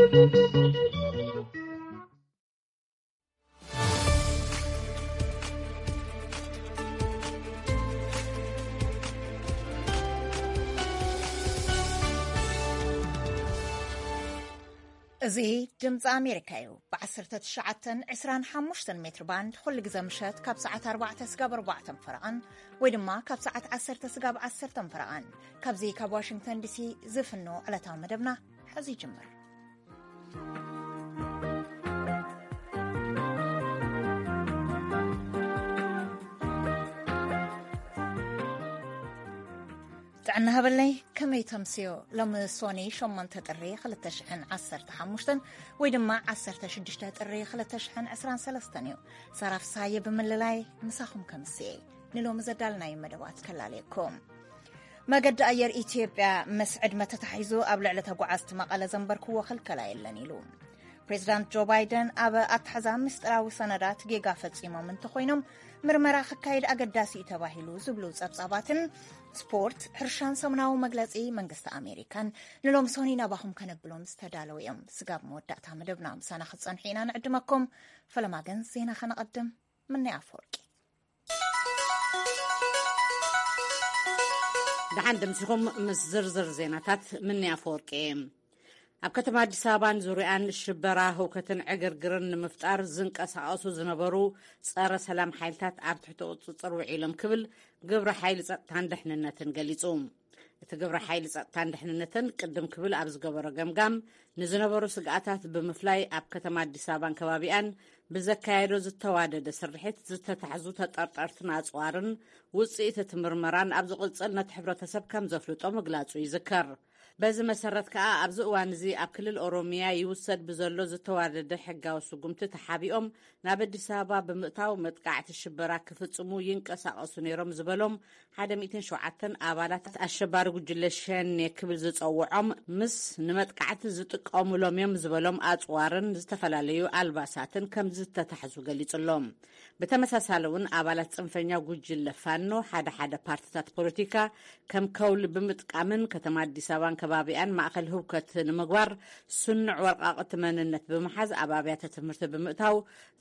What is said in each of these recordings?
እዚ ድምፂ ኣሜሪካ እዩ። ብ19፣ 25 ሜትር ባንድ ኩሉ ግዜ ምሸት ካብ ሰዓት ኣርባዕተ ስጋብ ኣርባዕተ ፈረቓን ወይ ድማ ካብ ሰዓት ዓሰርተ ስጋብ ዓሰርተ ፈረቓን ካብዚ ካብ ዋሽንግተን ዲሲ ዝፍኖ ዕለታዊ መደብና ሕዚ ይጅምር። ጥዕና ሃበለይ፣ ከመይ ተምስዮ? ሎሚ ሶኒ ሸሞንተ ጥሪ ክልተ ሽሕን ዓሰርተ ሓሙሽተን ወይ ድማ ዓሰርተ ሽዱሽተ ጥሪ ክልተ ሽሕን ዕስራን ሰለስተን እዩ። ሳራ ፍሳየ ብምልላይ ምሳኹም ከምስየ። ንሎሚ ዘዳልናዮ መደባት ከላለየኩም። መገዲ ኣየር ኢትዮጵያ ምስ ዕድመ ተታሒዙ ኣብ ልዕሊ ተጓዓዝቲ መቐለ ዘንበርክዎ ክልከላ የለን ኢሉ። ፕሬዚዳንት ጆ ባይደን ኣብ ኣትሓዛ ምስጢራዊ ሰነዳት ጌጋ ፈጺሞም እንተኾይኖም ምርመራ ክካየድ ኣገዳሲ እዩ ተባሂሉ ዝብሉ ጸብጻባትን ስፖርት፣ ሕርሻን ሰሙናዊ መግለጺ መንግስቲ ኣሜሪካን ንሎም ሶኒ ናባኹም ከነብሎም ዝተዳለዉ እዮም። ስጋብ መወዳእታ መደብና ምሳና ክትጸንሑ ኢና ንዕድመኩም። ፈለማ ግን ዜና ከነቐድም። ምኒ ኣፈወርቂ። ደሓን ደምሲኹም ምስ ዝርዝር ዜናታት ምኒ ኣፈወርቂ። ኣብ ከተማ ኣዲስ ኣበባን ዙርያን ሽበራ፣ ህውከትን ዕግርግርን ንምፍጣር ዝንቀሳቐሱ ዝነበሩ ጸረ ሰላም ሓይልታት ኣብ ትሕቲ ቁጽጽር ውዒሎም ክብል ግብረ ሓይሊ ጸጥታን ደሕንነትን ገሊጹ። እቲ ግብረ ሓይሊ ጸጥታን ደሕንነትን ቅድም ክብል ኣብ ዝገበሮ ገምጋም፣ ንዝነበሩ ስግኣታት ብምፍላይ ኣብ ከተማ ኣዲስ ኣበባን ከባቢኣን ብዘካየዶ ዝተዋደደ ስርሒት ዝተታሕዙ ተጠርጠርትን ኣጽዋርን ውጽኢት እቲ ምርመራን ኣብ ዝቕጽል ነቲ ሕብረተሰብ ከም ዘፍልጦ ምግላጹ ይዝከር። በዚ መሰረት ከኣ ኣብዚ እዋን እዚ ኣብ ክልል ኦሮሚያ ይውሰድ ብዘሎ ዝተዋደደ ሕጋዊ ስጉምቲ ተሓቢኦም ናብ ኣዲስ ኣበባ ብምእታው መጥቃዕቲ ሽበራ ክፍጽሙ ይንቀሳቐሱ ነይሮም ዝበሎም ሓደ ሚእትን ሸውዓተን ኣባላት ኣሸባሪ ጉጅለ ሸኔ ክብል ዝጸውዖም ምስ ንመጥቃዕቲ ዝጥቀሙሎም እዮም ዝበሎም ኣጽዋርን ዝተፈላለዩ ኣልባሳትን ከም ዝተታሕዙ ገሊጹ ኣሎ። ብተመሳሳሊ እውን ኣባላት ጽንፈኛ ጉጅለ ፋኖ ሓደ ሓደ ፓርትታት ፖለቲካ ከም ከውሊ ብምጥቃምን ከተማ ኣዲስ ኣበባን ከባቢኣን ማእከል ህውከት ንምግባር ስኑዕ ወርቃቕቲ መንነት ብምሓዝ ኣብ ኣብያተ ትምህርቲ ብምእታው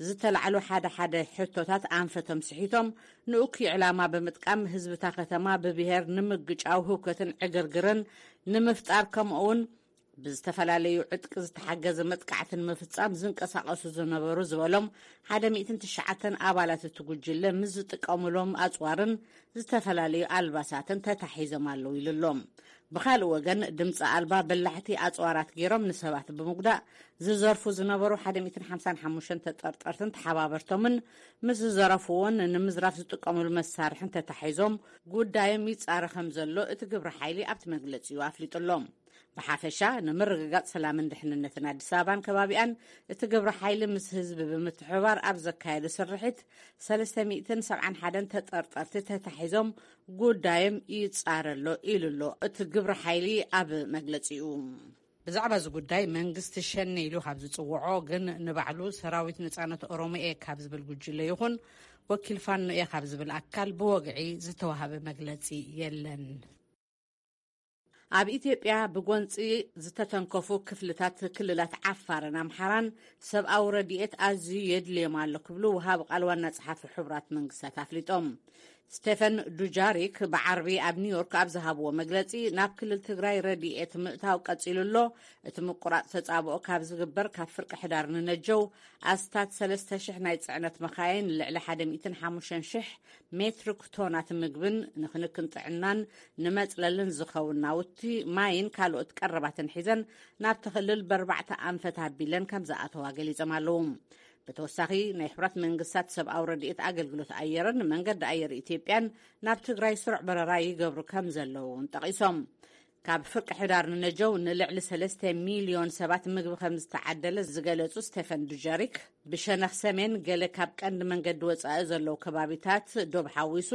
ዝተላዕሉ ሓደ ሓደ ሕቶታት ኣንፈቶም ስሒቶም ንእኩይ ዕላማ ብምጥቃም ህዝብታ ከተማ ብብሄር ንምግጫው ህውከትን ዕግርግርን ንምፍጣር ከምኡ እውን ብዝተፈላለዩ ዕጥቂ ዝተሓገዘ መጥቃዕቲ ንምፍጻም ዝንቀሳቐሱ ዝነበሩ ዝበሎም ሓደ ሚእትን ትሽዓተን ኣባላት እቲ ጉጅለ ምስ ዝጥቀሙሎም ኣጽዋርን ዝተፈላለዩ ኣልባሳትን ተታሒዞም ኣለዉ ኢሉ ኣሎ። ብኻልእ ወገን ድምፂ ኣልባ በላሕቲ ኣጽዋራት ገይሮም ንሰባት ብምጉዳእ ዝዘርፉ ዝነበሩ ሓደ ሚእትን ሓምሳን ሓሙሽተን ተጠርጠርትን ተሓባበርቶምን ምስ ዝዘረፍዎን ንምዝራፍ ዝጥቀሙሉ መሳርሕን ተታሒዞም ጉዳዮም ይጻረ ከም ዘሎ እቲ ግብረ ሓይሊ ኣብቲ መግለጺኡ ኣፍሊጡ ኣሎ። ብሓፈሻ ንምርግጋጽ ሰላምን ድሕንነትን ኣዲስ ኣበባን ከባቢኣን እቲ ግብረ ሓይሊ ምስ ህዝቢ ብምትሕብባር ኣብ ዘካየዶ ስርሒት ሰለስተ ሚእትን ሰብዓን ሓደን ተጠርጠርቲ ተታሒዞም ጉዳዮም ይጻረ ኣሎ ኢሉ ኣሎ እቲ ግብረ ሓይሊ ኣብ መግለጺኡ። ብዛዕባ እዚ ጉዳይ መንግስቲ ሸኔ ኢሉ ካብ ዝጽውዖ ግን ንባዕሉ ሰራዊት ነጻነት ኦሮሞ እየ ካብ ዝብል ጉጅለ ይኹን ወኪል ፋኖ እየ ካብ ዝብል ኣካል ብወግዒ ዝተዋሃበ መግለጺ የለን። ኣብ ኢትዮጵያ ብጎንጺ ዝተተንከፉ ክፍልታት ክልላት ዓፋርን ኣምሓራን ሰብኣዊ ረድኤት ኣዝዩ የድልዮም ኣሎ ክብሉ ወሃቢ ቃል ዋና ጸሓፊ ሕቡራት መንግስታት ኣፍሊጦም። ስቴፈን ዱጃሪክ ብዓርቢ ኣብ ኒውዮርክ ኣብ ዝሃብዎ መግለጺ፣ ናብ ክልል ትግራይ ረድኤት ምእታው ቀጺሉ ኣሎ። እቲ ምቁራጽ ተጻብኦ ካብ ዝግበር ካብ ፍርቂ ሕዳር ንነጀው ኣስታት ሰለስተ ሽሕ ናይ ጽዕነት መኻይን፣ ልዕሊ ሓደ ሚእትን ሓሙሽተን ሽሕ ሜትሪክ ቶናት ምግብን ንክንክን ጥዕናን ንመጽለልን ዝኸውን ናውቲ ማይን ካልኦት ቀረባትን ሒዘን ናብቲ ክልል በርባዕተ ኣንፈት ኣቢለን ከም ዝኣተዋ ገሊጾም ኣለዉ። ብተወሳኺ ናይ ሕብራት መንግስታት ሰብኣዊ ረድኤት ኣገልግሎት ኣየርን መንገዲ ኣየር ኢትዮጵያን ናብ ትግራይ ስሩዕ በረራ ይገብሩ ከም ዘለዉ እውን ጠቒሶም። ካብ ፍርቂ ሕዳር ንነጀው ንልዕሊ ሰለስተ ሚልዮን ሰባት ምግቢ ከም ዝተዓደለ ዝገለጹ ስቴፈን ዱጀሪክ፣ ብሸነኽ ሰሜን ገለ ካብ ቀንዲ መንገዲ ወጻኢ ዘለዉ ከባቢታት ዶብ ሓዊሱ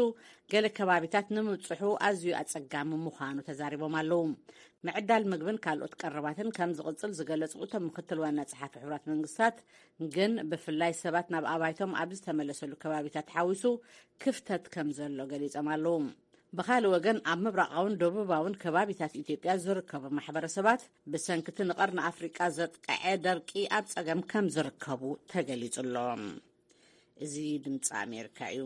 ገለ ከባቢታት ንምብጽሑ ኣዝዩ ኣጸጋሚ ምዃኑ ተዛሪቦም ኣለዉ። ምዕዳል ምግብን ካልኦት ቀረባትን ከም ዝቕጽል ዝገለጹ እቶም ምክትል ዋና ጸሓፊ ሕቡራት መንግስታት፣ ግን ብፍላይ ሰባት ናብ ኣባይቶም ኣብ ዝተመለሰሉ ከባቢታት ሓዊሱ ክፍተት ከም ዘሎ ገሊጾም ኣለዉ። ብኻልእ ወገን፣ ኣብ ምብራቓውን ደቡባውን ከባቢታት ኢትዮጵያ ዝርከቡ ማሕበረሰባት ብሰንክቲ ንቐርኒ ኣፍሪቃ ዘጥቅዐ ደርቂ ኣብ ጸገም ከም ዝርከቡ ተገሊጹ ኣሎ። እዚ ድምፂ ኣሜሪካ እዩ።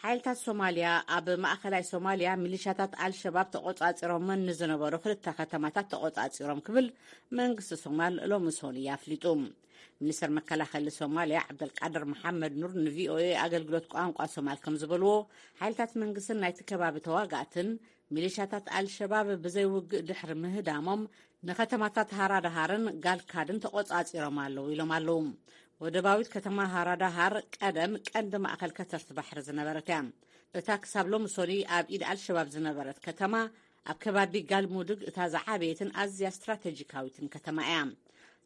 ሓይልታት ሶማልያ ኣብ ማእኸላይ ሶማልያ ሚሊሻታት ኣልሸባብ ተቖጻጺሮመን ንዝነበሩ ክልተ ከተማታት ተቖጻጺሮም ክብል መንግስቲ ሶማል ሎሚ ሰኑይ ኣፍሊጡ። ሚኒስተር መከላኸሊ ሶማልያ ዓብደልቃድር መሓመድ ኑር ንቪኦኤ ኣገልግሎት ቋንቋ ሶማል ከም ዝበልዎ፣ ሓይልታት መንግስትን ናይቲ ከባቢ ተዋጋእትን ሚሊሻታት ኣልሸባብ ብዘይ ውግእ ድሕሪ ምህዳሞም፣ ንከተማታት ሃራዳሃርን ጋልካድን ተቖጻጺሮም ኣለዉ ኢሎም ኣለዉ። ወደባዊት ከተማ ሃራዳሃር ቀደም ቀንዲ ማእከል ከተርቲ ባሕሪ ዝነበረት እያ። እታ ክሳብ ሎሚ ሰኑይ ኣብ ኢድ ኣልሸባብ ዝነበረት ከተማ፣ ኣብ ከባቢ ጋልሙዱግ እታ ዝዓበየትን ኣዝያ ስትራቴጂካዊትን ከተማ እያ።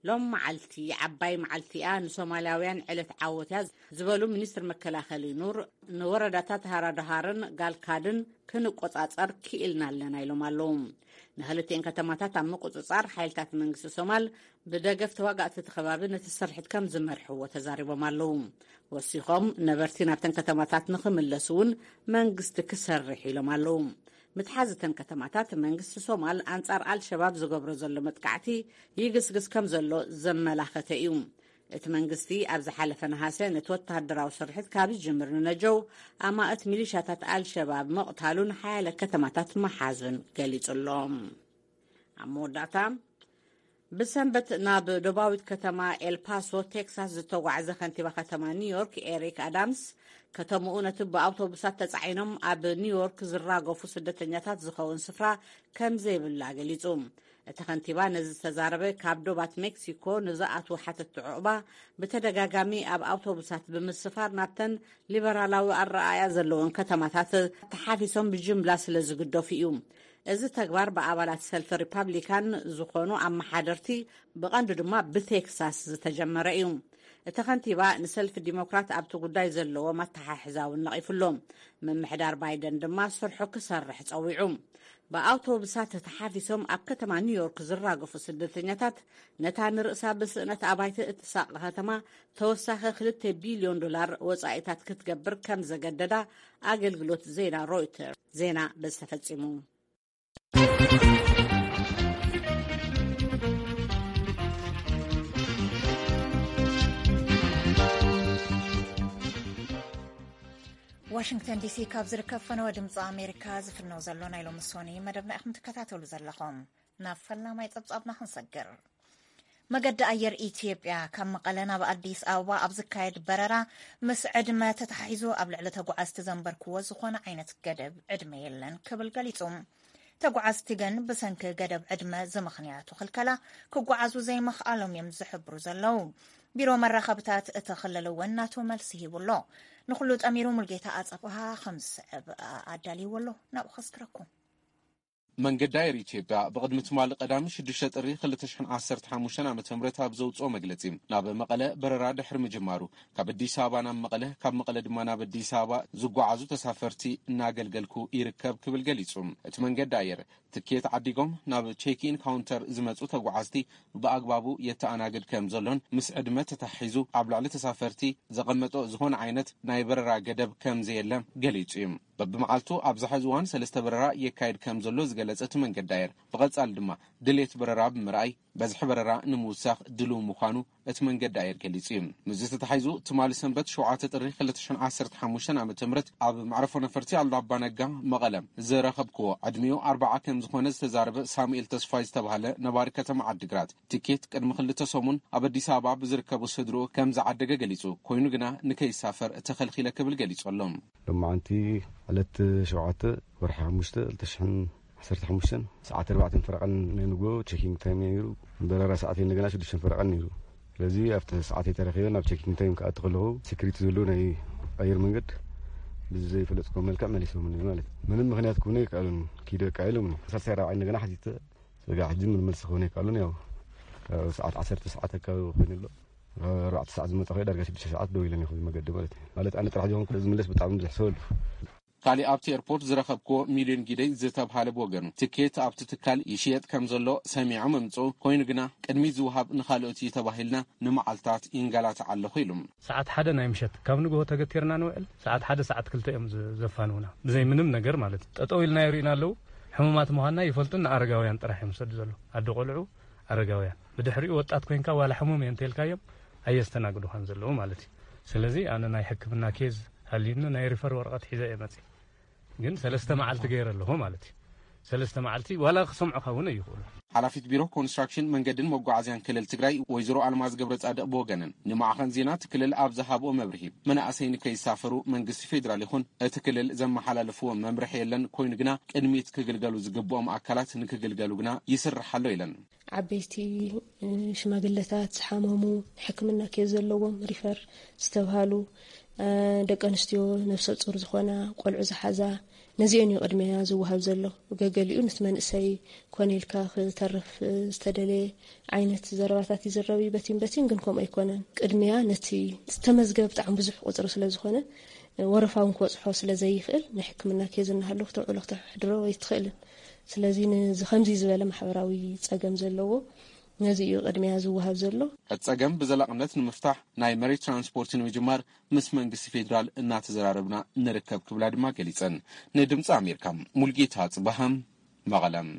ሎም መዓልቲ ዓባይ መዓልቲ እያ፣ ንሶማልያውያን ዕለት ዓወት እያ ዝበሉ ሚኒስትር መከላኸሊ ኑር፣ ንወረዳታት ሃራዳሃርን ጋልካድን ክንቆጻጸር ክኢልና ኣለና ኢሎም ኣለዉ። ንክልቲኤን ከተማታት ኣብ ምቁጽጻር ሓይልታት መንግስቲ ሶማል ብደገፍ ተዋጋእቲ እቲ ከባቢ ነቲ ስርሒት ከም ዝመርሕዎ ተዛሪቦም ኣለዉ። ወሲኾም፣ ነበርቲ ናብተን ከተማታት ንክምለሱ እውን መንግስቲ ክሰርሕ ኢሎም ኣለዉ። ምትሓዝ እተን ከተማታት መንግስቲ ሶማል ኣንጻር ኣልሸባብ ዝገብሮ ዘሎ መጥቃዕቲ ይግስግስ ከም ዘሎ ዘመላኸተ እዩ። እቲ መንግስቲ ኣብ ዝሓለፈ ነሃሰ ነቲ ወተሃደራዊ ስርሒት ካብ ዝጅምር ንነጀው ኣማእት ሚሊሻታት ኣልሸባብ ምቕታሉን ሓያለ ከተማታት ምሓዙን ገሊጹ ኣሎ። ኣብ መወዳእታ፣ ብሰንበት ናብ ደቡባዊት ከተማ ኤልፓሶ ቴክሳስ ዝተጓዕዘ ከንቲባ ከተማ ኒውዮርክ ኤሪክ ኣዳምስ፣ ከተማኡ ነቲ ብኣውቶቡሳት ተጻዒኖም ኣብ ኒውዮርክ ዝራገፉ ስደተኛታት ዝኸውን ስፍራ ከም ዘይብላ ገሊጹ። እቲ ከንቲባ ነዚ ዝተዛረበ፣ ካብ ዶባት ሜክሲኮ ንዝኣትዉ ሓተትቲ ዑቕባ ብተደጋጋሚ ኣብ ኣውቶቡሳት ብምስፋር ናብተን ሊበራላዊ ኣረኣእያ ዘለወን ከተማታት ተሓፊሶም ብጅምላ ስለ ዝግደፉ እዩ። እዚ ተግባር ብኣባላት ሰልፊ ሪፓብሊካን ዝኾኑ ኣመሓደርቲ፣ ብቐንዱ ድማ ብቴክሳስ ዝተጀመረ እዩ። እቲ ከንቲባ ንሰልፊ ዲሞክራት ኣብቲ ጉዳይ ዘለዎም ኣተሓሕዛ እውን ነቒፉ ኣሎ። ምምሕዳር ባይደን ድማ ስርሑ ክሰርሕ ጸዊዑ። ብኣውቶቡሳት ተሓፊሶም ኣብ ከተማ ኒውዮርክ ዝራገፉ ስደተኛታት፣ ነታ ንርእሳ ብስእነት ኣባይቲ እትሳቐ ከተማ ተወሳኺ ክልተ ቢልዮን ዶላር ወጻኢታት ክትገብር ከም ዘገደዳ ኣገልግሎት ዜና ሮይተርስ ዜና በዚ ተፈጺሙ። ዋሽንግተን ዲሲ ካብ ዝርከብ ፈነወ ድምፂ ኣሜሪካ ዝፍነው ዘሎ ናይ ሎሚ ሶኒ መደብና ኢኹም ትከታተሉ ዘለኹም። ናብ ፈላማይ ጸብጻብና ክንሰግር። መገዲ ኣየር ኢትዮጵያ ካብ መቐለ ናብ ኣዲስ ኣበባ ኣብ ዝካየድ በረራ ምስ ዕድመ ተታሒዙ ኣብ ልዕሊ ተጓዓዝቲ ዘንበርክዎ ዝኾነ ዓይነት ገደብ ዕድመ የለን ክብል ገሊጹ። ተጓዓዝቲ ግን ብሰንኪ ገደብ ዕድመ ዝምኽንያቱ ክልከላ ክጓዓዙ ዘይምኽኣሎም እዮም ዝሕብሩ ዘለዉ። ቢሮ መራኸብታት እቲ ክልል እውን ናቱ መልሲ ሂቡ ኣሎ። ንኹሉ ጠሚሩ ሙልጌታ ኣጸብሃ ከም ዝስዕብ ኣዳልይዎ ኣሎ። ናብኡ ከስክረኩም። መንገዲ ኣየር ኢትዮጵያ ብቕድሚ ትማሊ ቀዳሚ ሽዱሽተ ጥሪ ክልተ ሽሕን ዓሰርተ ሓሙሽተን ዓመተ ምህረት ኣብ ዘውጽኦ መግለጺ፣ ናብ መቐለ በረራ ድሕሪ ምጅማሩ፣ ካብ ኣዲስ ኣበባ ናብ መቐለ፣ ካብ መቐለ ድማ ናብ ኣዲስ ኣበባ ዝጓዓዙ ተሳፈርቲ እናገልገልኩ ይርከብ ክብል ገሊጹ። እቲ መንገዲ ኣየር ትኬት ዓዲጎም ናብ ቼክ ኢን ካውንተር ዝመጹ ተጓዓዝቲ ብኣግባቡ የተኣናግድ ከም ዘሎን ምስ ዕድመ ተታሒዙ ኣብ ልዕሊ ተሳፈርቲ ዘቐመጦ ዝኾነ ዓይነት ናይ በረራ ገደብ ከም ዘየለ ገሊጹ እዩ። በብመዓልቱ ኣብዚ ሕዚ እዋን ሰለስተ በረራ የካይድ ከም ዘሎ ዝገለጸ እቲ መንገዲ ኣየር፣ ብቐጻሊ ድማ ድሌት በረራ ብምርኣይ በዝሒ በረራ ንምውሳኽ ድሉው ምዃኑ እቲ መንገዲ ኣየር ገሊጹ እዩ። ምስዚ ተታሒዙ ትማሊ ሰንበት ሸውዓተ ጥሪ ክልተ ሽሕን ዓሰርተ ሓሙሽተን ዓመተ ምህረት ኣብ መዕረፎ ነፈርቲ ኣሉላ ኣባ ነጋ መቐለ ዝረኸብክዎ ዕድሚኡ ኣርብዓ ከም ዝኾነ ዝተዛረበ ሳሙኤል ተስፋይ ዝተባህለ ነባሪ ከተማ ዓዲግራት፣ ትኬት ቅድሚ ክልተ ሰሙን ኣብ ኣዲስ ኣበባ ብዝርከቡ ስድርኡ ከም ዝዓደገ ገሊጹ። ኮይኑ ግና ንከይሳፈር ተኸልኺለ ክብል ገሊጹ ኣሎ። ሎማዓንቲ ዕለት ሸውዓተ ወርሒ ሓሙሽተ ክልተ ሽሕን ዓሰርተ ሓሙሽተን ሰዓት ኣርባዕተን ፈረቓን ናይ ንግሆ ቼኪንግ ታይም ነይሩ። በረራ ሰዓት እንደገና ሽዱሽተን ፈረቓን ነይሩ። ስለዚ ኣብቲ ሰዓት ተረኺበ ናብ ቼኪንግ ታይም ክኣቱ ከለኹ ሴኩሪቲ ዘለዉ ናይ ኣየር መንገድ ብዘይፈለጥኩዎ መልክዕ መሊሶምኒ ማለት እዩ። ምንም ምኽንያት ክህቡኒ ኣይከኣሉን። ኪደ በቃ ኢሎምኒ። ሳልሳይ ራብዓይ እንደገና ሓቲተ፣ በቃ ሕጂ ምንም መልሲ ክህቡኒ ኣይከኣሉን። ያው ካብ ሰዓት ዓሰርተ ሰዓት ኣካባቢ ኮይኑ ኣሎ። ካብ ኣርባዕተ ሰዓት ዝመጣ ኮይኑ ዳርጋ ሽዱሽተ ሰዓት ደው ኢለን እየ ኣብዚ መገዲ ማለት እዩ። ማለት ኣነ ጥራሕ ዘይኮንኩ ዝምለስ ብጣዕሚ ብዙሕ ሰብ ኣሎ። ካሊእ ኣብቲ ኤርፖርት ዝረኸብክዎ ሚልዮን ጊደይ ዝተብሃለ ብወገኑ፣ ትኬት ኣብቲ ትካል ይሽየጥ ከም ዘሎ ሰሚዖም እምጽኡ፣ ኮይኑ ግና ቅድሚት ዝወሃብ ንኻልኦት እዩ ተባሂልና ንመዓልታት ይንገላታዕ ኣለኹ ኢሉ። ሰዓት ሓደ ናይ ምሸት ካብ ንግሆ ተገቲርና ንውዕል፣ ሰዓት ሓደ ሰዓት ክልተ እዮም ዘፋንውና፣ ብዘይ ምንም ነገር ማለት እዩ። ጠጠው ኢልና ይርእዩና ኣለዉ። ሕሙማት ምዃንና ይፈልጡን ንኣረጋውያን ጥራሕ እዮም ዝሰዱ ዘለዉ። ኣደ ቆልዑ፣ ኣረጋውያን። ብድሕሪኡ ወጣት ኮይንካ ዋላ ሕሙም እየ እንተልካዮም ኣየስተናግዱኻን ዘለዉ ማለት እዩ። ስለዚ ኣነ ናይ ሕክምና ኬዝ ሃልዩኒ ናይ ሪፈር ወረቐት ሒዘ እየ መፅእ። ግን ሰለስተ መዓልቲ ገይረ ኣለኹ ማለት እዩ። ሰለስተ መዓልቲ ዋላ ክሰምዑኻ እውን ኣይኽእሉ። ሓላፊት ቢሮ ኮንስትራክሽን መንገድን መጓዓዝያን ክልል ትግራይ ወይዘሮ ኣልማዝ ገብረ ጻድቕ ብወገነን ንማዕኸን ዜና እቲ ክልል ኣብ ዝሃብኦ መብርሂ፣ መናእሰይ ንከይሳፈሩ መንግስቲ ፌዴራል ይኹን እቲ ክልል ዘመሓላለፍዎ መምርሒ የለን፣ ኮይኑ ግና ቅድሚት ክግልገሉ ዝግብኦም ኣካላት ንክግልገሉ ግና ይስራሕ ኣሎ ኢለን። ዓበይቲ ሽማግለታት፣ ዝሓመሙ፣ ሕክምና ኬዝ ዘለዎም፣ ሪፈር ዝተብሃሉ፣ ደቂ ኣንስትዮ፣ ነፍሰ ፁር ዝኾና፣ ቆልዑ ዝሓዛ፣ ነዚአን እዩ ቅድሚያ ዝወሃብ ዘሎ። ገገሊኡ ንቲ መንእሰይ ኮነ ኢልካ ክተርፍ ዝተደለየ ዓይነት ዘረባታት ይዝረብ እዩ በቲን በቲን፣ ግን ከምኡ ኣይኮነን። ቅድሚያ ነቲ ዝተመዝገብ ብጣዕሚ ብዙሕ ቁፅሪ ስለ ዝኾነ፣ ወረፋ እውን ክበፅሖ ስለ ዘይኽእል፣ ናይ ሕክምና ኬዝ እናሃለወ ክተውዕሎ ክተሕድሮ ኣይትኽእልን። ስለዚ ንዚ ከምዚ ዝበለ ማሕበራዊ ፀገም ዘለዎ ነዚ እዩ ቅድሚያ ዝወሃብ ዘሎ። እቲ ፀገም ብዘላቕነት ንምፍታሕ ናይ መሬት ትራንስፖርት ንምጅማር ምስ መንግስቲ ፌዴራል እናተዘራረብና ንርከብ ክብላ ድማ ገሊፀን። ንድምፂ ኣሜሪካ ሙልጌታ ጽባሃም መቐለም።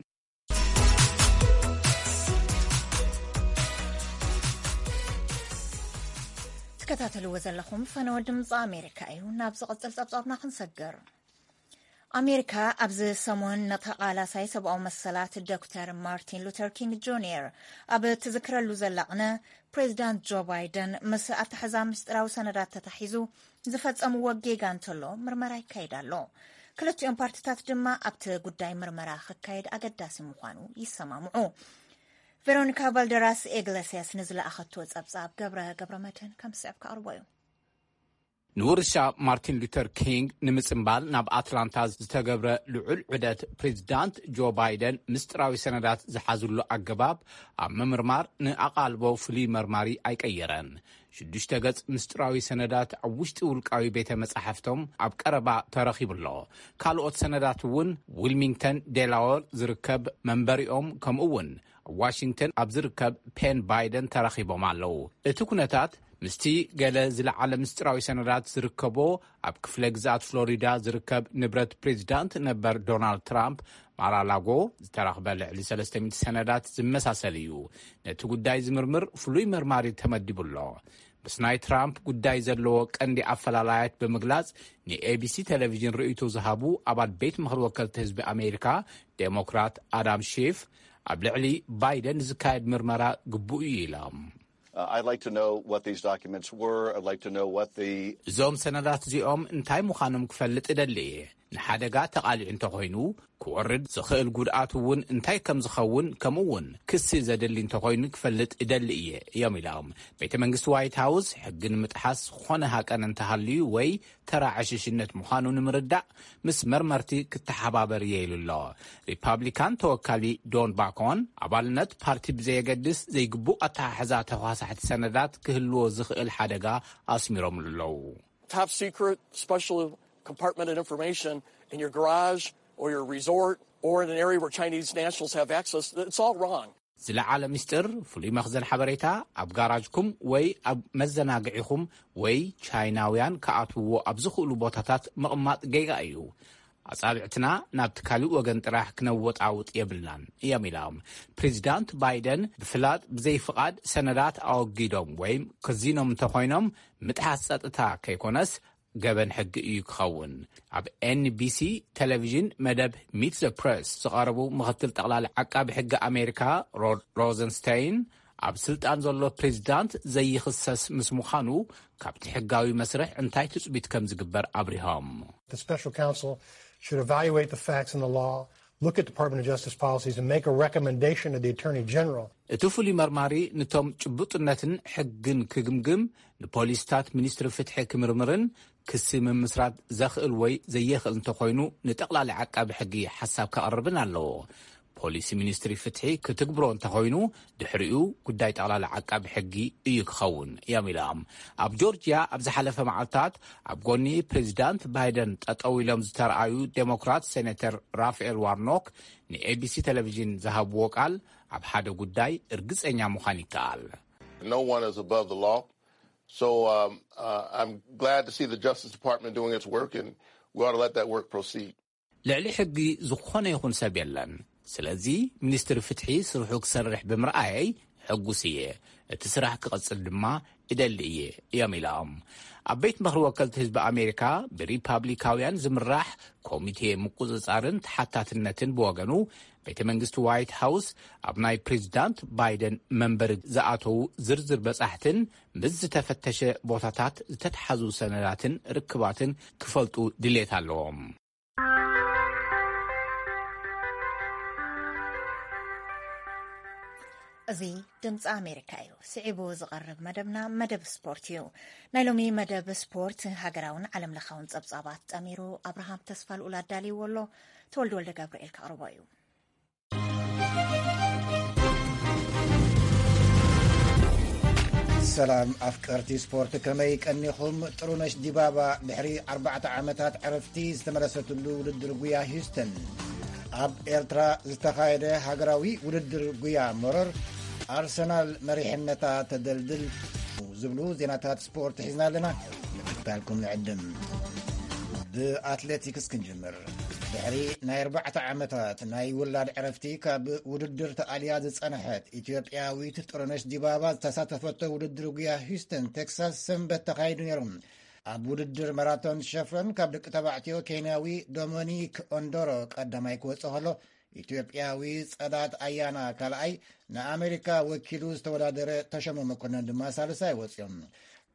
ትከታተልዎ ዘለኹም ፈነወ ድምፂ ኣሜሪካ እዩ። ናብ ዝቕፅል ፀብፃብና ክንሰግር። ኣሜሪካ ኣብዚ ሰሙን ንተቓላሳይ ሰብኣዊ መሰላት ዶክተር ማርቲን ሉተር ኪንግ ጁኒየር ኣብ ትዝክረሉ ዘላ ቅነ፣ ፕሬዚዳንት ጆ ባይደን ምስ ኣተሓዛ ምስጢራዊ ሰነዳት ተታሒዙ ዝፈጸምዎ ጌጋ እንተሎ ምርመራ ይካየድ ኣሎ። ክልቲኦም ፓርቲታት ድማ ኣብቲ ጉዳይ ምርመራ ክካየድ ኣገዳሲ ምዃኑ ይሰማምዑ። ቬሮኒካ ባልደራስ ኢግለስያስ ንዝለኣኸቶ ጸብጻብ ገብረ ገብረ መድህን ከም ዝስዕብ ከቕርቦ እዩ። ንውርሻ ማርቲን ሉተር ኪንግ ንምጽምባል ናብ ኣትላንታ ዝተገብረ ልዑል ዑደት፣ ፕሬዚዳንት ጆ ባይደን ምስጢራዊ ሰነዳት ዝሓዝሉ ኣገባብ ኣብ ምምርማር ንኣቓልቦ ፍሉይ መርማሪ ኣይቀየረን። ሽዱሽተ ገጽ ምስጢራዊ ሰነዳት ኣብ ውሽጢ ውልቃዊ ቤተ መጻሕፍቶም ኣብ ቀረባ ተረኺቡ ኣሎ። ካልኦት ሰነዳት እውን ዊልሚንግተን ዴላወር ዝርከብ መንበሪኦም፣ ከምኡ እውን ኣብ ዋሽንግተን ኣብ ዝርከብ ፔን ባይደን ተረኺቦም ኣለዉ። እቲ ኩነታት ምስቲ ገለ ዝለዓለ ምስጢራዊ ሰነዳት ዝርከቦ ኣብ ክፍለ ግዝኣት ፍሎሪዳ ዝርከብ ንብረት ፕሬዚዳንት ነበር ዶናልድ ትራምፕ ማራላጎ ዝተረኽበ ልዕሊ ሰለስተ ሚእቲ ሰነዳት ዝመሳሰል እዩ። ነቲ ጉዳይ ዝምርምር ፍሉይ መርማሪ ተመዲቡ ኣሎ። ምስ ናይ ትራምፕ ጉዳይ ዘለዎ ቀንዲ ኣፈላላያት ብምግላጽ ንኤቢሲ ቴሌቪዥን ርእይቶ ዝሃቡ ኣባል ቤት ምኽሪ ወከልቲ ህዝቢ ኣሜሪካ ዴሞክራት ኣዳም ሺፍ፣ ኣብ ልዕሊ ባይደን ዝካየድ ምርመራ ግቡእ እዩ ኢሎም። Uh, I'd like to know what these documents were. I'd like to know what the እዞም ሰነዳት እዚኦም እንታይ ምዃኖም ክፈልጥ እደሊ እየ። ንሓደጋ ተቓሊዑ እንተኾይኑ ክወርድ ዝኽእል ጉድኣት እውን እንታይ ከም ዝኸውን፣ ከምኡ እውን ክሲ ዘድሊ እንተኾይኑ ክፈልጥ እደሊ እየ እዮም ኢሎም። ቤተ መንግስቲ ዋይት ሃውስ ሕጊ ንምጥሓስ ዝኾነ ሃቀን እንተሃልዩ ወይ ተራ ዕሽሽነት ምዃኑ ንምርዳእ ምስ መርመርቲ ክተሓባበር እየ ኢሉ ኣሎ። ሪፓብሊካን ተወካሊ ዶን ባኮን ኣባልነት ፓርቲ ብዘየገድስ ዘይግቡእ ኣተሓሕዛ ተኳሳሕቲ ሰነዳት ክህልዎ ዝኽእል ሓደጋ ኣስሚሮምሉ ኣለዉ። Top secret special compartmented information in your garage or your resort or in an area where Chinese nationals have access, it's all wrong. ዝለዓለ ምስጢር፣ ፍሉይ መኽዘን ሓበሬታ ኣብ ጋራጅኩም ወይ ኣብ መዘናግዒኹም ወይ ቻይናውያን ክኣትውዎ ኣብ ዝኽእሉ ቦታታት ምቕማጥ ጌጋ እዩ። ኣጻብዕትና ናብቲ ካልእ ወገን ጥራሕ ክነወጣውጥ የብልናን እዮም ኢሎም። ፕሬዚዳንት ባይደን ብፍላጥ ብዘይፍቓድ ሰነዳት ኣወጊዶም ወይም ከዚኖም እንተኾይኖም ምጥሓስ ጸጥታ ከይኮነስ ገበን ሕጊ እዩ ክኸውን። ኣብ ኤንቢሲ ቴሌቪዥን መደብ ሚት ዘ ፕሬስ ዝቐረቡ ምኽትል ጠቕላሊ ዓቃቢ ሕጊ ኣሜሪካ ሮድ ሮዘንስታይን ኣብ ስልጣን ዘሎ ፕሬዚዳንት ዘይኽሰስ ምስ ምዃኑ ካብቲ ሕጋዊ መስርሕ እንታይ ትጽቢት ከም ዝግበር ኣብሪሆም። The special counsel should evaluate the facts and the law, look at Department of Justice policies, and make a recommendation to the Attorney General. እቲ ፍሉይ መርማሪ ነቶም ጭቡጥነትን ሕግን ክግምግም፣ ንፖሊስታት ሚኒስትሪ ፍትሒ ክምርምርን ክሲ ምምስራት ዘኽእል ወይ ዘየኽእል እንተኾይኑ ንጠቕላሊ ዓቃቢ ሕጊ ሓሳብ ከቕርብን ኣለዎ። ፖሊሲ ሚኒስትሪ ፍትሒ ክትግብሮ እንተኾይኑ፣ ድሕሪኡ ጉዳይ ጠቕላላ ዓቃቢ ሕጊ እዩ ክኸውን እዮም ኢሎም። ኣብ ጆርጅያ ኣብ ዝሓለፈ መዓልታት ኣብ ጎኒ ፕሬዚዳንት ባይደን ጠጠው ኢሎም ዝተረኣዩ ዴሞክራት ሴኔተር ራፋኤል ዋርኖክ ንኤቢሲ ቴሌቪዥን ዝሃብዎ ቃል፣ ኣብ ሓደ ጉዳይ እርግጸኛ ምዃን ይከኣል። No one is above the law. So um, uh, I'm glad to see the Justice Department doing its work, and we ought to let that work proceed. ልዕሊ ሕጊ ዝኾነ ይኹን ሰብ የለን። ስለዚ ሚኒስትሪ ፍትሒ ስርሑ ክሰርሕ ብምርኣየይ ሕጉስ እየ። እቲ ስራሕ ክቐጽል ድማ እደሊ እየ እዮም ኢሎም። ኣብ ቤት ምኽሪ ወከልቲ ህዝቢ ኣሜሪካ ብሪፓብሊካውያን ዝምራሕ ኮሚቴ ምቁጽጻርን ተሓታትነትን ብወገኑ፣ ቤተ መንግስቲ ዋይት ሃውስ ኣብ ናይ ፕሬዚዳንት ባይደን መንበሪ ዝኣተዉ ዝርዝር በጻሕትን ምስ ዝተፈተሸ ቦታታት ዝተተሓዙ ሰነዳትን ርክባትን ክፈልጡ ድሌት ኣለዎም። እዚ ድምፂ ኣሜሪካ እዩ። ስዒቡ ዝቐርብ መደብና መደብ ስፖርት እዩ። ናይ ሎሚ መደብ ስፖርት ሃገራውን ዓለም ለኻውን ፀብፃባት ጠሚሩ ኣብርሃም ተስፋ ልኡል ኣዳልይዎ ኣሎ። ተወልደ ወልደ ገብርኤል ከቕርቦ እዩ። ሰላም ኣፍቀርቲ ስፖርት፣ ከመይ ቀኒኹም? ጥሩነሽ ዲባባ ድሕሪ ኣርባዕተ ዓመታት ዕረፍቲ ዝተመለሰትሉ ውድድር ጉያ ሂውስተን። ኣብ ኤርትራ ዝተኻየደ ሃገራዊ ውድድር ጉያ መሮር ኣርሰናል መሪሕነታ ተደልድል ዝብሉ ዜናታት ስፖርት ሒዝና ኣለና። ምክትታልኩም ንዕድም። ብኣትሌቲክስ ክንጅምር። ድሕሪ ናይ ኣርባዕተ ዓመታት ናይ ውላድ ዕረፍቲ ካብ ውድድር ተኣልያ ዝጸንሐት ኢትዮጵያዊት ጥሩነሽ ዲባባ ዝተሳተፈቶ ውድድር ጉያ ሂውስተን ቴክሳስ ሰንበት ተኻይዱ ነይሩ። ኣብ ውድድር ማራቶን ሸፍረን ካብ ደቂ ተባዕትዮ ኬንያዊ ዶሚኒክ ኦንዶሮ ቀዳማይ ክወጽእ ከሎ፣ ኢትዮጵያዊ ጸዳት ኣያና ካልኣይ፣ ንኣሜሪካ ወኪሉ ዝተወዳደረ ተሾመ መኮነን ድማ ሳልሳይ ወጺኦም።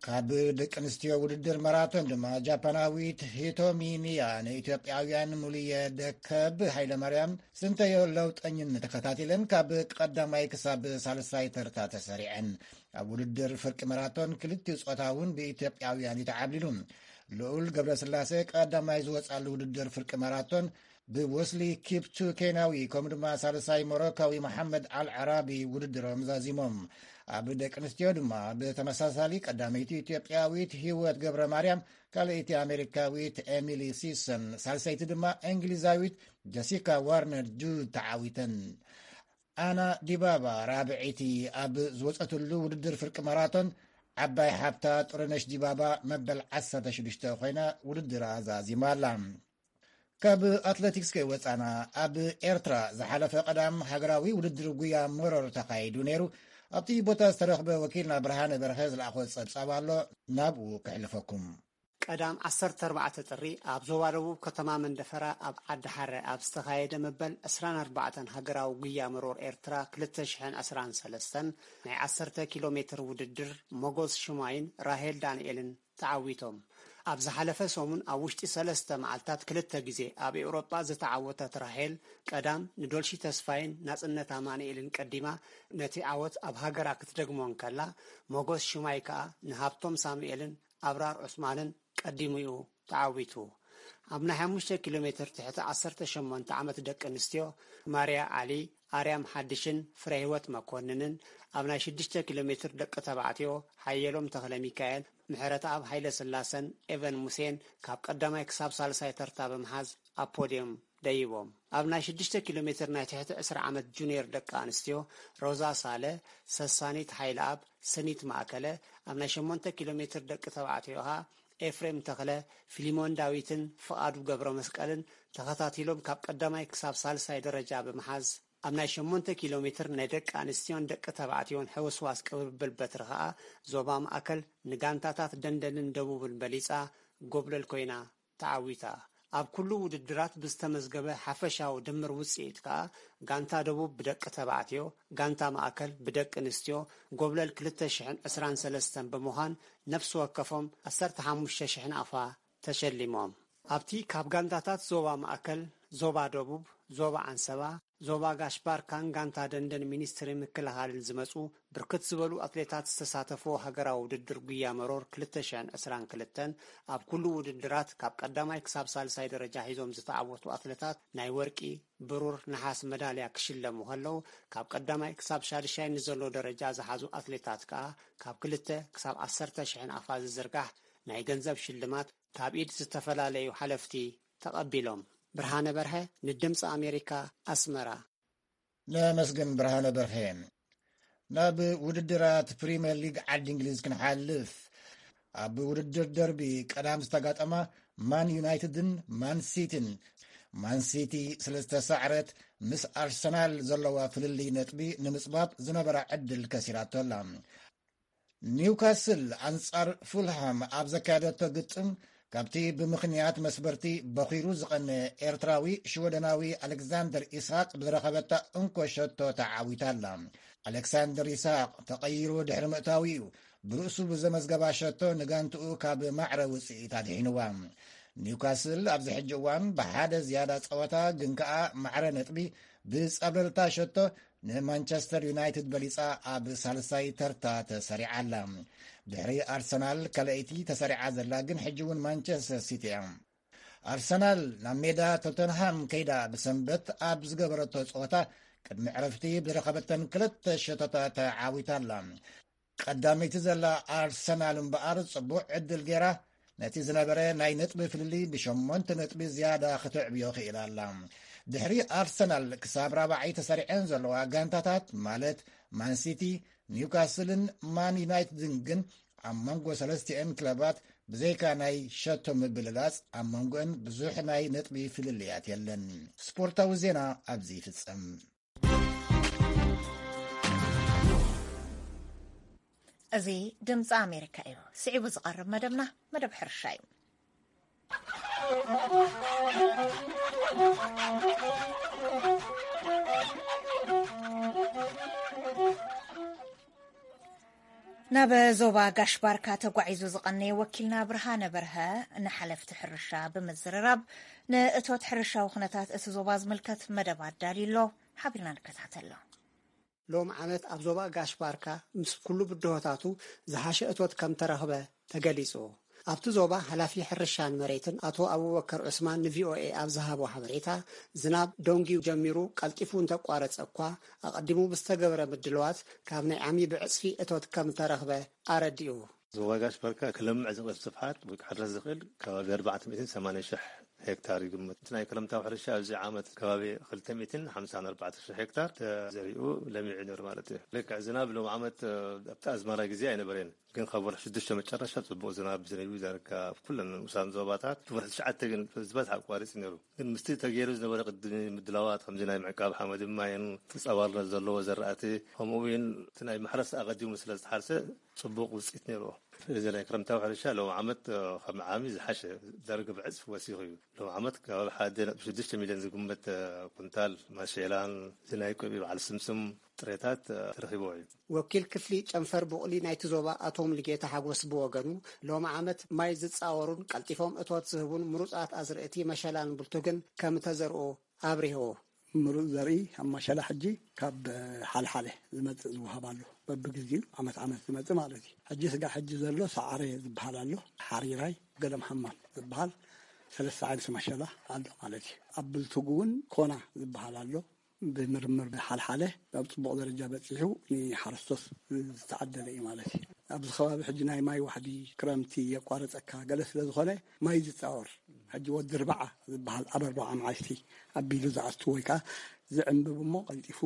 ካብ ደቂ ኣንስትዮ ውድድር ማራቶን ድማ ጃፓናዊት ሂቶሚ ሚያ ንኢትዮጵያውያን ሙሉየ ደከብ፣ ሃይለማርያም ስንተዮ ለውጠኝን ተኸታቲለን ካብ ቀዳማይ ክሳብ ሳልሳይ ተርታ ተሰሪዐን። ኣብ ውድድር ፍርቂ ማራቶን ክልቲኡ ጾታ እውን ብኢትዮጵያውያን እዩ ተዓብሊሉ። ልኡል ገብረስላሴ ቀዳማይ ዝወጻሉ ውድድር ፍርቂ ማራቶን ብወስሊ ኪፕቱ ኬንያዊ፣ ከምኡ ድማ ሳልሳይ ሞሮካዊ መሓመድ ኣል ዓራቢ ውድድሮም ዛዚሞም። ኣብ ደቂ ኣንስትዮ ድማ ብተመሳሳሊ ቀዳመይቲ ኢትዮጵያዊት ህይወት ገብረ ማርያም፣ ካልኣይቲ ኣሜሪካዊት ኤሚሊ ሲሰን፣ ሳልሰይቲ ድማ እንግሊዛዊት ጀሲካ ዋርነር ጁድ ተዓዊተን። ኣና ዲባባ ራብዐይቲ ኣብ ዝወጸትሉ ውድድር ፍርቂ ማራቶን፣ ዓባይ ሓብታ ጥሩነሽ ዲባባ መበል ዓሰርተ ሽዱሽተ ኮይና ውድድራ ዛዚማ ኣላ። ካብ ኣትሌቲክስ ከይወጻና፣ ኣብ ኤርትራ ዝሓለፈ ቀዳም ሃገራዊ ውድድር ጉያ መሮር ተኻይዱ ነይሩ። ኣብቲ ቦታ ዝተረኽበ ወኪልና ብርሃነ በርሀ ዝለኣኾ ጸብጻብ ኣሎ፣ ናብኡ ከሕልፈኩም። ቀዳም ዓሰርተ ኣርባዕተ ጥሪ ኣብ ዞባ ደቡብ ከተማ መንደፈራ ኣብ ዓዲ ሓረ ኣብ ዝተኻየደ መበል ዕስራን ኣርባዕተን ሃገራዊ ጉያ መሮር ኤርትራ ክልተ ሽሕን ዕስራን ሰለስተን ናይ ዓሰርተ ኪሎ ሜትር ውድድር ሞጎስ ሽማይን ራሄል ዳንኤልን ተዓዊቶም። ኣብ ዝሓለፈ ሰሙን ኣብ ውሽጢ ሰለስተ መዓልታት ክልተ ግዜ ኣብ ኤውሮጳ ዝተዓወተት ራሄል ቀዳም ንዶልሺ ተስፋይን ናጽነት ኣማኑኤልን ቀዲማ ነቲ ዓወት ኣብ ሃገራ ክትደግሞ እንከላ፣ ሞጎስ ሽማይ ከኣ ንሃብቶም ሳሙኤልን ኣብራር ዑስማንን ቀዲሙ እዩ ተዓዊቱ። ኣብ ናይ ሓሙሽተ ኪሎ ሜትር ትሕቲ ዓሰርተ ሸሞንተ ዓመት ደቂ ኣንስትዮ ማርያ ዓሊ፣ ኣርያም ሓድሽን ፍረህይወት መኮንንን፣ ኣብ ናይ ሽዱሽተ ኪሎ ሜትር ደቂ ተባዕትዮ ሓየሎም ተኽለ ሚካኤል፣ ምሕረተኣብ ሃይለ ስላሰን ኤቨን ሙሴን ካብ ቀዳማይ ክሳብ ሳልሳይ ተርታ ብምሓዝ ኣብ ፖድዮም ደይቦም። ኣብ ናይ ሽዱሽተ ኪሎ ሜትር ናይ ትሕቲ ዕስራ ዓመት ጁኒየር ደቂ ኣንስትዮ ሮዛ ሳለ፣ ሰሳኒት ሃይለኣብ፣ ሰኒት ማእከለ፣ ኣብ ናይ ሸሞንተ ኪሎ ሜትር ደቂ ተባዕትዮ ከኣ ኤፍሬም ተኽለ፣ ፊሊሞን ዳዊትን ፍቓዱ ገብረ መስቀልን ተኸታቲሎም ካብ ቀዳማይ ክሳብ ሳልሳይ ደረጃ ብምሓዝ፣ ኣብ ናይ ሸሞንተ ኪሎ ሜትር ናይ ደቂ ኣንስትዮን ደቂ ተባዕትዮን ሕውስዋስ ቅብብል በትሪ ከኣ ዞባ ማእከል ንጋንታታት ደንደንን ደቡብን በሊጻ ጎብለል ኮይና ተዓዊታ። ኣብ ኩሉ ውድድራት ብዝተመዝገበ ሓፈሻዊ ድምር ውጽኢት ከኣ ጋንታ ደቡብ ብደቂ ተባዕትዮ፣ ጋንታ ማእከል ብደቂ ኣንስትዮ ጎብለል ክልተ ሽሕን ዕስራን ሰለስተን ብምዃን ነፍሲ ወከፎም ዓሰርተ ሓሙሽተ ሽሕ ናቕፋ ተሸሊሞም። ኣብቲ ካብ ጋንታታት ዞባ ማእከል፣ ዞባ ደቡብ፣ ዞባ ዓንሰባ፣ ዞባ ጋሽ ባርካን ጋንታ ደንደን ሚኒስትሪ ምክልኻልን ዝመጹ ብርክት ዝበሉ ኣትሌታት ዝተሳተፎ ሃገራዊ ውድድር ጉያ መሮር ክልተ ሽሕን ዕስራን ክልተን ኣብ ኩሉ ውድድራት ካብ ቀዳማይ ክሳብ ሳልሳይ ደረጃ ሒዞም ዝተዓወቱ ኣትሌታት ናይ ወርቂ፣ ብሩር፣ ነሓስ መዳልያ ክሽለሙ ከለዉ፣ ካብ ቀዳማይ ክሳብ ሻድሻይ ንዘሎ ደረጃ ዝሓዙ ኣትሌታት ከኣ ካብ ክልተ ክሳብ ዓሰርተ ሽሕን ኣፋ ዝዝርጋሕ ናይ ገንዘብ ሽልማት ካብ ኢድ ዝተፈላለዩ ሓለፍቲ ተቐቢሎም። ብርሃነ በርሀ ንድምፂ ኣሜሪካ፣ ኣስመራ። ነመስግን ብርሃነ በርሀ። ናብ ውድድራት ፕሪምየር ሊግ ዓዲ እንግሊዝ ክንሓልፍ፣ ኣብ ውድድር ደርቢ ቀዳም ዝተጋጠማ ማን ዩናይትድን ማን ሲቲን፣ ማን ሲቲ ስለ ዝተሳዕረት ምስ ኣርሰናል ዘለዋ ፍልልይ ነጥቢ ንምጽባብ ዝነበራ ዕድል ከሲራቶ ኣላ። ኒውካስል ኣንጻር ፉልሃም ኣብ ዘካየደቶ ግጥም፣ ካብቲ ብምኽንያት መስበርቲ በኺሩ ዝቐነ ኤርትራዊ ሽወደናዊ ኣሌክዛንደር ኢስሃቅ ብዝረኸበታ እንኮ ሸቶ ተዓዊታ ኣላ። ኣሌክሳንደር ኢስሃቅ ተቐይሩ ድሕሪ ምእታዉ እዩ ብርእሱ ብዘመዝገባ ሸቶ ንጋንትኡ ካብ ማዕረ ውጽኢት ኣድሒንዋ። ኒውካስል ኣብዚ ሕጂ እዋን ብሓደ ዝያዳ ጸወታ ግን ከኣ ማዕረ ነጥቢ ብጸብለልታ ሸቶ ንማንቸስተር ዩናይትድ በሊጻ ኣብ ሳልሳይ ተርታ ተሰሪዓ ኣላ። ድሕሪ ኣርሰናል ካልኣይቲ ተሰሪዓ ዘላ ግን ሕጂ እውን ማንቸስተር ሲቲ እያ። ኣርሰናል ናብ ሜዳ ቶተንሃም ከይዳ ብሰንበት ኣብ ዝገበረቶ ጸወታ ቅድሚ ዕረፍቲ ብዝረኸበተን ክልተ ሸቶታት ተዓዊታ ኣላ። ቀዳመይቲ ዘላ ኣርሰናል እምበኣር ጽቡቕ ዕድል ገይራ ነቲ ዝነበረ ናይ ነጥቢ ፍልልይ ብሸሞንተ ነጥቢ ዝያዳ ክተዕብዮ ክኢላ ኣላ። ድሕሪ ኣርሰናል ክሳብ ራብዓይ ተሰሪዐን ዘለዋ ጋንታታት ማለት ማንሲቲ፣ ኒውካስልን ማን ዩናይትድን ግን ኣብ መንጎ ሰለስቲኤን ክለባት ብዘይካ ናይ ሸቶ ምብልላጽ ኣብ መንጎአን ብዙሕ ናይ ነጥቢ ፍልልያት የለን። ስፖርታዊ ዜና ኣብዚ ይፍጸም። እዚ ድምፂ ኣሜሪካ እዩ። ስዒቡ ዝቐርብ መደብና መደብ ሕርሻ እዩ። ናብ ዞባ ጋሽ ባርካ ተጓዒዙ ዝቐነየ ወኪልና ብርሃነ በርሀ ንሓለፍቲ ሕርሻ ብምዝርራብ ንእቶት ሕርሻዊ ኩነታት እቲ ዞባ ዝምልከት መደብ ኣዳልዩ ኣሎ። ሓቢርና ንከታተሎ። ሎም ዓመት ኣብ ዞባ ጋሽ ባርካ ምስ ኩሉ ብድሆታቱ ዝሓሸ እቶት ከም ተረኽበ ተገሊጹ። ኣብቲ ዞባ ሓላፊ ሕርሻን መሬትን ኣቶ ኣቡበከር ዑስማን ንቪኦኤ ኣብ ዝሃቦ ሓበሬታ፣ ዝናብ ደንጊዩ ጀሚሩ ቀልጢፉ እንተቋረጸ እኳ፣ ኣቐዲሙ ብዝተገበረ ምድልዋት ካብ ናይ ዓሚ ብዕጽፊ እቶት ከም ተረኽበ ኣረዲኡ። ዞባ ጋሽ ባርካ ክለምዕ ዝኽእል ስፍሓት ወይ ክሕረስ ዝኽእል ከባቢ ኣርባዕተ ሚእትን ሰማንያን ሽሕ ሄክታር ይግመት። እቲ ናይ ክረምታዊ ሕርሻ ኣብዚ ዓመት ከባቢ ክልተ ሚእትን ሓምሳን ኣርባዕተ ሽሕ ሄክታር ተዘሪኡ ለሚዑ ነይሩ ማለት እዩ። ልክዕ ዝናብ ሎም ዓመት፣ እ፣ ኣብቲ ኣዝመራ ግዜ ኣይነበረን፣ ግን ካብ ወርሒ ሽዱሽተ መጨረሻ ጽቡቕ ዝናብ ዘንቢቡ ዳርጋ ኣብ ኩለን ንኡሳን ዞባታት። እቲ ወርሒ ትሽዓተ ግን ዝበዝሐ ኣቋሪጹ ነይሩ። ግን ምስቲ ተገይሩ ዝነበረ ቅድሚ ምድላዋት፣ ከምዚ ናይ ምዕቃብ ሓመድን ማይን፣ ተጻዋርነት ዘለዎ ዘራእቲ፣ ከምኡ እውን እቲ ናይ ማሕረስ ኣቐዲሙ ስለ ዝተሓርሰ፣ ጽቡቕ ውጽኢት ነይርዎ። እዚ ናይ ክረምታዊ ሕርሻ ሎም ዓመት፣ እ፣ ካብ ዓሚ ዝሓሸ ዳርጋ ብዕጽፊ ወሲኹ እዩ። ሎም ዓመት ከባቢ ሓደ ነጥቢ ሽዱሽተ ሚልዮን ዝግመት፣ እ፣ ኩንታል ማሸላን እዚ ናይ ቆቢ በዓል ስምስም ጥሬታት፣ እ፣ ተረኺብዎ እዩ። ወኪል ክፍሊ ጨንፈር ቡቕሊ ናይቲ ዞባ ኣቶ ሙሉጌታ ሓጎስ ብወገኑ፣ ሎም ዓመት ማይ ዝጻወሩን ቀልጢፎም እቶት ዝህቡን ምሩጻት ኣዝርእቲ መሸላን ብልቱግን ከም ተዘርኡ ኣብሪሁ። ምሩጽ ዘርኢ ኣብ ማሸላ ሕጂ ካብ ሓልሓለ ዝመጽእ ዝወሃብ ኣሎ። በብግዜኡ ዓመት ዓመት ዝመጽእ ማለት እዩ። ሕጂ ስጋ ሕጂ ዘሎ ሰዓረ ዝበሃል ኣሎ፣ ሓሪራይ፣ ገደም ሓማም ዝበሃል ሰለስተ ዓይነት ማሸላ ኣሎ ማለት እዩ። ኣብ ብልቱግ እውን ኮና ዝበሃል ኣሎ። ብምርምር ሓልሓለ ኣብ ጽቡቕ ደረጃ በጺሑ ንሓረስቶት ዝተዓደለ እዩ ማለት እዩ። ኣብዚ ከባቢ ሕጂ ናይ ማይ ዋሕዲ ክረምቲ የቋረጸካ ገለ ስለ ዝኾነ ማይ ዝጻወር ሕጂ ወዲ ርብዓ ዝበሃል ኣብ ኣርብዓ መዓልቲ ኣቢሉ ዝኣቱ ወይ ከዓ ዝዕንብብ እሞ ቀልጢፉ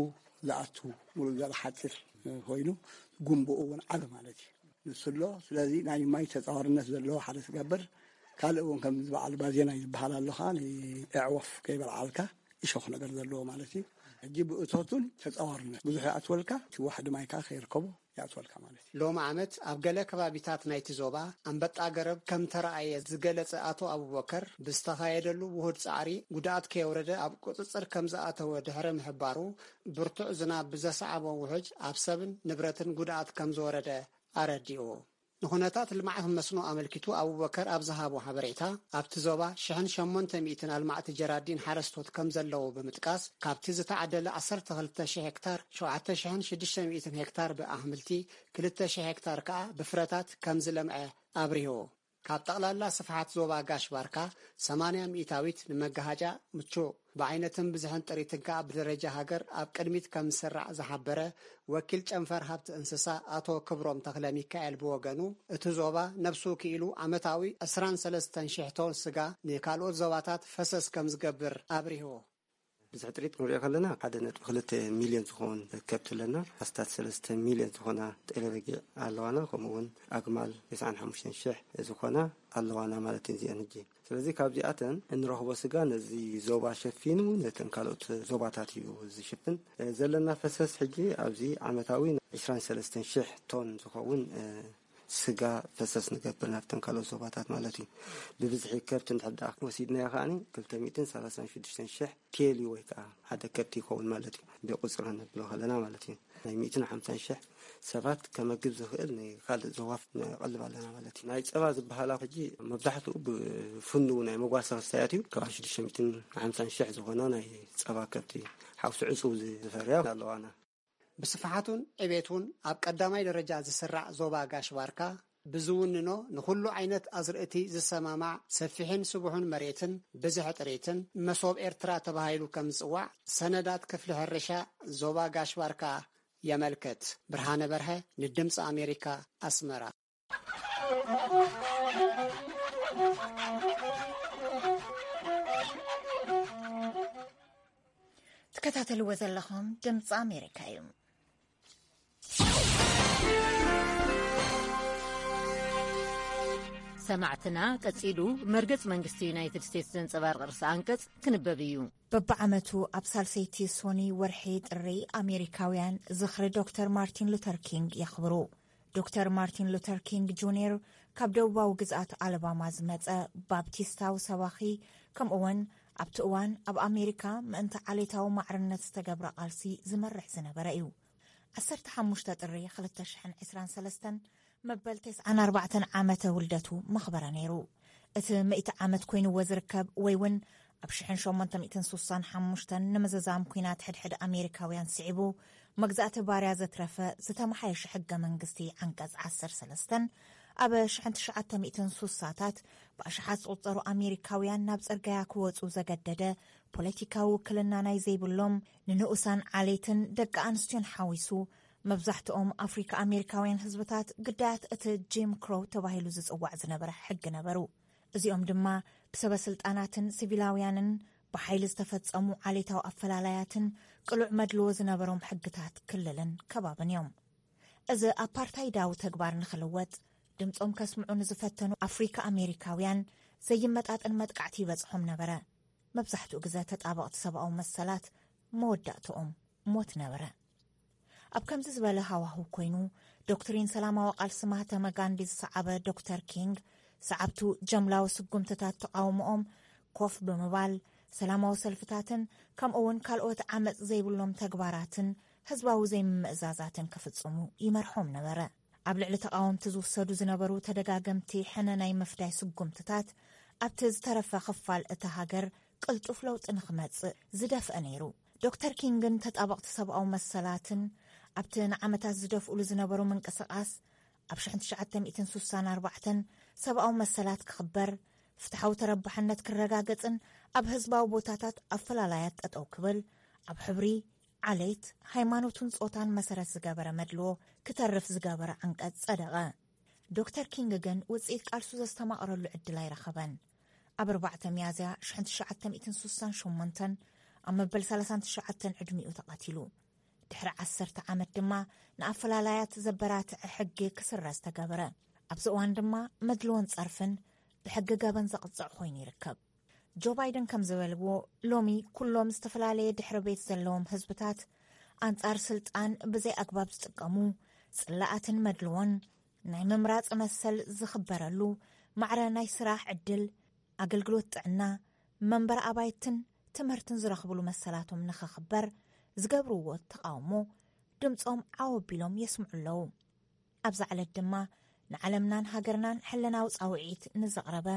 ዝኣቱ ሙሉእ ዘርኢ ሓፂር ኮይኑ ጉንብኡ እውን ዓቢ ማለት እዩ። ንሱ ኣሎ። ስለዚ ናይ ማይ ተጻዋርነት ዘለዎ ሓደ ትገብር። ካልእ እውን ከም ዝበዓል ባዜና ዝበሃል ኣሎ ከዓ ንኣዕዋፍ ከይበልዓልካ እሾኽ ነገር ዘለዎ ማለት እዩ። ሕጂ ብእቶቱን ተጻዋርነት ብዙሕ ይኣትወልካ፣ እቲ ዋሕዲ ማይ ከዓ ከይርከቦ ይኣትወልካ ማለት እዩ። ሎሚ ዓመት ኣብ ገለ ከባቢታት ናይቲ ዞባ ኣንበጣ ገረብ ከም ተረኣየ ዝገለጸ ኣቶ ኣቡበከር፣ ብዝተኻየደሉ ውሁድ ጻዕሪ ጉድኣት ከየውረደ ኣብ ቁጽጽር ከም ዝኣተወ ድሕሪ ምሕባሩ፣ ብርቱዕ ዝናብ ብዘስዓቦ ውሑጅ ኣብ ሰብን ንብረትን ጉድኣት ከም ዝወረደ ኣረዲኡ። ንኹነታት ልምዓት መስኖ ኣመልኪቱ ኣቡበከር ኣብ ዝሃቦ ሓበሬታ፣ ኣብቲ ዞባ ሽሕን ሸሞንተ ሚእትን ኣልማዕቲ ጀራዲን ሓረስቶት ከም ዘለዉ ብምጥቃስ፣ ካብቲ ዝተዓደለ ዓሰርተ ክልተ ሽሕ ሄክታር፣ ሸውዓተ ሽሕን ሽዱሽተ ሚእትን ሄክታር ብኣሕምልቲ፣ ክልተ ሽሕ ሄክታር ከኣ ብፍረታት ከም ዝለምዐ ኣብሪሁ። ካብ ጠቕላላ ስፍሓት ዞባ ጋሽ ባርካ ሰማንያ ሚእታዊት ንመጋሃጫ ምቹእ፣ ብዓይነትን ብዝሕን ጥሪትን ከኣ ብደረጃ ሃገር ኣብ ቅድሚት ከም ዝስራዕ ዝሓበረ ወኪል ጨንፈር ሃብቲ እንስሳ ኣቶ ክብሮም ተኽለ ሚካኤል ብወገኑ፣ እቲ ዞባ ነብሱ ክኢሉ ዓመታዊ ዕስራን ሰለስተን ሽሕ ቶን ስጋ ንካልኦት ዞባታት ፈሰስ ከም ዝገብር ኣብሪሁ። ብዝሒ ጥሪት ክንሪኦ ከለና ሓደ ነጥቢ ክልተ ሚልዮን ዝኸውን ከብቲ ኣለና። ኣስታት ሰለስተ ሚልዮን ዝኾና ጤለ በጊዕ ኣለዋና። ከምኡ እውን ኣግማል ተስዓን ሓሙሽተን ሽሕ ዝኾና ኣለዋና ማለት እዩ እዚአን። ሕጂ ስለዚ ካብዚኣተን እንረኽቦ ስጋ ነዚ ዞባ ሸፊኑ ነተን ካልኦት ዞባታት እዩ ዝሽፍን። እ፣ ዘለና ፈሰስ ሕጂ ኣብዚ ዓመታዊ ዕስራን ሰለስተን ሽሕ ቶን ዝኸውን፣ እ፣ ስጋ ፈሰስ ንገብር ናብተን ካልኦት ዞባታት ማለት እዩ። ብብዝሒ ከብቲ እንድሕር ደኣ ወሲድናዮ ከዓኒ ክልተ ሚእትን ሰላሳን ሽዱሽተን ሽሕ ቴሊ ወይ ከዓ ሓደ ከብቲ ይኸውን ማለት እዩ። ብቁፅሪ ነብሎ ከለና ማለት እዩ። ናይ ሚእትን ሓምሳን ሽሕ ሰባት ከመግብ ዝኽእል ንካልእ ዞባ ነቕልብ ኣለና ማለት እዩ። ናይ ፀባ ዝበሃላ ሕጂ መብዛሕትኡ ብፍኑው ናይ መጓሰ ክስታያት እዩ። ካብ ሽዱሽተ ሚእትን ሓምሳን ሽሕ ዝኾና ናይ ፀባ ከብቲ ሓውሲ ዕፁው ዝፈርያ ኣለዋና። ብስፍሓቱን ዕቤቱን ኣብ ቀዳማይ ደረጃ ዝስራዕ ዞባ ጋሽ ባርካ፣ ብዝውንኖ ንኹሉ ዓይነት ኣዝርእቲ ዝሰማማዕ ሰፊሕን ስቡሕን መሬትን ብዝሒ ጥሪትን፣ መሶብ ኤርትራ ተባሂሉ ከም ዝጽዋዕ ሰነዳት ክፍሊ ሕርሻ ዞባ ጋሽ ባርካ የመልክት። ብርሃነ በርሀ ንድምፂ ኣሜሪካ፣ ኣስመራ። ትከታተልዎ ዘለኹም ድምፂ ኣሜሪካ እዩ። ሰማዕትና፣ ቀጺሉ መርገጽ መንግስቲ ዩናይትድ ስቴትስ ዘንጸባርቕ ርእሰ ኣንቀጽ ክንበብ እዩ። በብዓመቱ ኣብ ሳልሰይቲ ሶኒ ወርሒ ጥሪ ኣሜሪካውያን ዝኽሪ ዶክተር ማርቲን ሉተር ኪንግ የኽብሩ። ዶክተር ማርቲን ሉተር ኪንግ ጁኒየር ካብ ደቡባዊ ግዝኣት ኣለባማ ዝመጸ ባፕቲስታዊ ሰባኺ፣ ከምኡውን ኣብቲ እዋን ኣብ ኣሜሪካ ምእንቲ ዓሌታዊ ማዕርነት ዝተገብረ ቃልሲ ዝመርሕ ዝነበረ እዩ። ዓሰርተ ሓሙሽተ ጥሪ ክልተ ሽሕን ዕስራን ሰለስተን መበል ተስዓን ኣርባዕተን ዓመተ ውልደቱ መኽበረ ነይሩ። እቲ ምእቲ ዓመት ኮይንዎ ዝርከብ ወይ እውን ኣብ ሽሕን ሸሞንተ ሚእትን ሱሳን ሓሙሽተን ንምዝዛም ኲናት ሕድሕድ ኣሜሪካውያን ስዒቡ፣ መግዛእቲ ባርያ ዘትረፈ ዝተመሓየሸ ሕገ መንግስቲ ዓንቀጽ ዓሰርተ ሰለስተን ኣብ ሽሕን ትሽዓተ ሚእትን ሱሳታት ብኣሽሓት ዝቑጸሩ ኣሜሪካውያን ናብ ጽርጋያ ክወጹ ዘገደደ፣ ፖለቲካዊ ውክልና ናይ ዘይብሎም ንንኡሳን ዓሌትን ደቂ ኣንስትዮን ሓዊሱ፣ መብዛሕትኦም ኣፍሪካ ኣሜሪካውያን ህዝብታት ግዳያት እቲ ጂም ክሮው ተባሂሉ ዝጽዋዕ ዝነበረ ሕጊ ነበሩ። እዚኦም ድማ ብሰበ ስልጣናትን ሲቪላውያንን ብሓይሊ ዝተፈጸሙ ዓሌታዊ ኣፈላላያትን ቅሉዕ መድልዎ ዝነበሮም ሕግታት ክልልን ከባብን እዮም። እዚ ኣፓርታይዳዊ ተግባር ንኽልወጥ ድምጾም ከስምዑ ንዝፈተኑ ኣፍሪካ ኣሜሪካውያን ዘይመጣጠን መጥቃዕቲ ይበጽሖም ነበረ። መብዛሕትኡ ግዘ ተጣበቕቲ ሰብኣዊ መሰላት መወዳእትኦም ሞት ነበረ። ኣብ ከምዚ ዝበለ ሃዋህው ኮይኑ፣ ዶክትሪን ሰላማዊ ቃልሲ ማህተመ ጋንዲ ዝሰዓበ ዶክተር ኪንግ፣ ሰዓብቱ ጀምላዊ ስጉምትታት ተቓውሞኦም ኮፍ ብምባል፣ ሰላማዊ ሰልፍታትን ከምኡ እውን ካልኦት ዓመጽ ዘይብሎም ተግባራትን ህዝባዊ ዘይምምእዛዛትን ክፍጽሙ ይመርሖም ነበረ። ኣብ ልዕሊ ተቓወምቲ ዝውሰዱ ዝነበሩ ተደጋገምቲ ሕነ ናይ ምፍዳይ ስጉምትታት ኣብቲ ዝተረፈ ክፋል እታ ሃገር ቅልጡፍ ለውጢ ንኽመጽእ ዝደፍአ ነይሩ። ዶክተር ኪንግን ተጣበቕቲ ሰብኣዊ መሰላትን ኣብቲ ንዓመታት ዝደፍኡሉ ዝነበሩ ምንቅስቓስ፣ ኣብ ሽሕን ትሽዓተ ሚእትን ሱሳን ኣርባዕተን ሰብኣዊ መሰላት ክኽበር፣ ፍትሓዊ ተረባሕነት ክረጋገጽን ኣብ ህዝባዊ ቦታታት ኣፈላላያት ጠጠው ክብል፣ ኣብ ሕብሪ፣ ዓሌት፣ ሃይማኖትን ጾታን መሰረት ዝገበረ መድልዎ ክተርፍ ዝገበረ ዓንቀጽ ጸደቐ። ዶክተር ኪንግ ግን ውጽኢት ቃልሱ ዘስተማቕረሉ ዕድል ኣይረኸበን። ኣብ ኣርባዕተ ሚያዝያ ሽሕን ትሽዓተ ሚእትን ሱሳን ሸሞንተን ኣብ መበል ሰላሳን ትሽዓተን ዕድሚኡ ተቐቲሉ። ድሕሪ ዓሰርተ ዓመት ድማ ንኣፈላላያት ዘበራትዐ ሕጊ ክስረዝ ተገበረ። ኣብዚ እዋን ድማ መድልዎን ጸርፍን ብሕጊ ገበን ዘቕጽዕ ኮይኑ ይርከብ። ጆ ባይደን ከም ዝበልዎ፣ ሎሚ ኩሎም ዝተፈላለየ ድሕሪ ቤት ዘለዎም ህዝብታት ኣንጻር ስልጣን ብዘይ ኣግባብ ዝጥቀሙ፣ ጽላኣትን መድልዎን ናይ ምምራጽ መሰል ዝኽበረሉ፣ ማዕረ ናይ ስራሕ ዕድል፣ ኣገልግሎት ጥዕና፣ መንበሪ ኣባይትን ትምህርትን ዝረኽብሉ መሰላቶም ንኽኽበር ዝገብርዎ ተቓውሞ ድምጾም ዓው ኣቢሎም የስምዑ ኣለዉ። ኣብዛ ዕለት ድማ ንዓለምናን ሃገርናን ሕልናዊ ጻውዒት ንዘቕረበ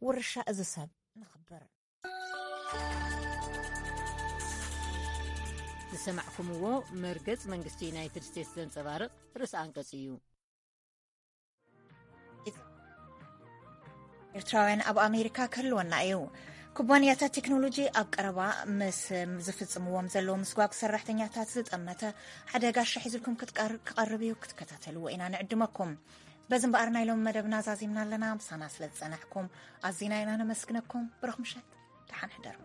ውርሻ እዚ ሰብ ንኽብር። ዝሰማዕኩምዎ መርገጽ መንግስቲ ዩናይትድ ስቴትስ ዘንጸባርቕ ርእሰ ኣንቀጽ እዩ። ኤርትራውያን ኣብ ኣሜሪካ ክህልወና እዩ። ኩባንያታት ቴክኖሎጂ ኣብ ቀረባ ምስ ዝፍጽምዎም ዘለዉ ምስጓግ ሰራሕተኛታት ዝጠመተ ሓደ ጋሻ ሒዙልኩም ክትቀር-፣ ክቐርብ እዩ። ክትከታተልዎ ኢና ንዕድመኩም። በዚ እምበኣር ናይ ሎሚ መደብና ዛዚምና ኣለና። ምሳና ስለ ዝጸናሕኩም ኣዚና ኢና ነመስግነኩም። ብሩኽ ምሸት፣ ደሓን ሕደሩ።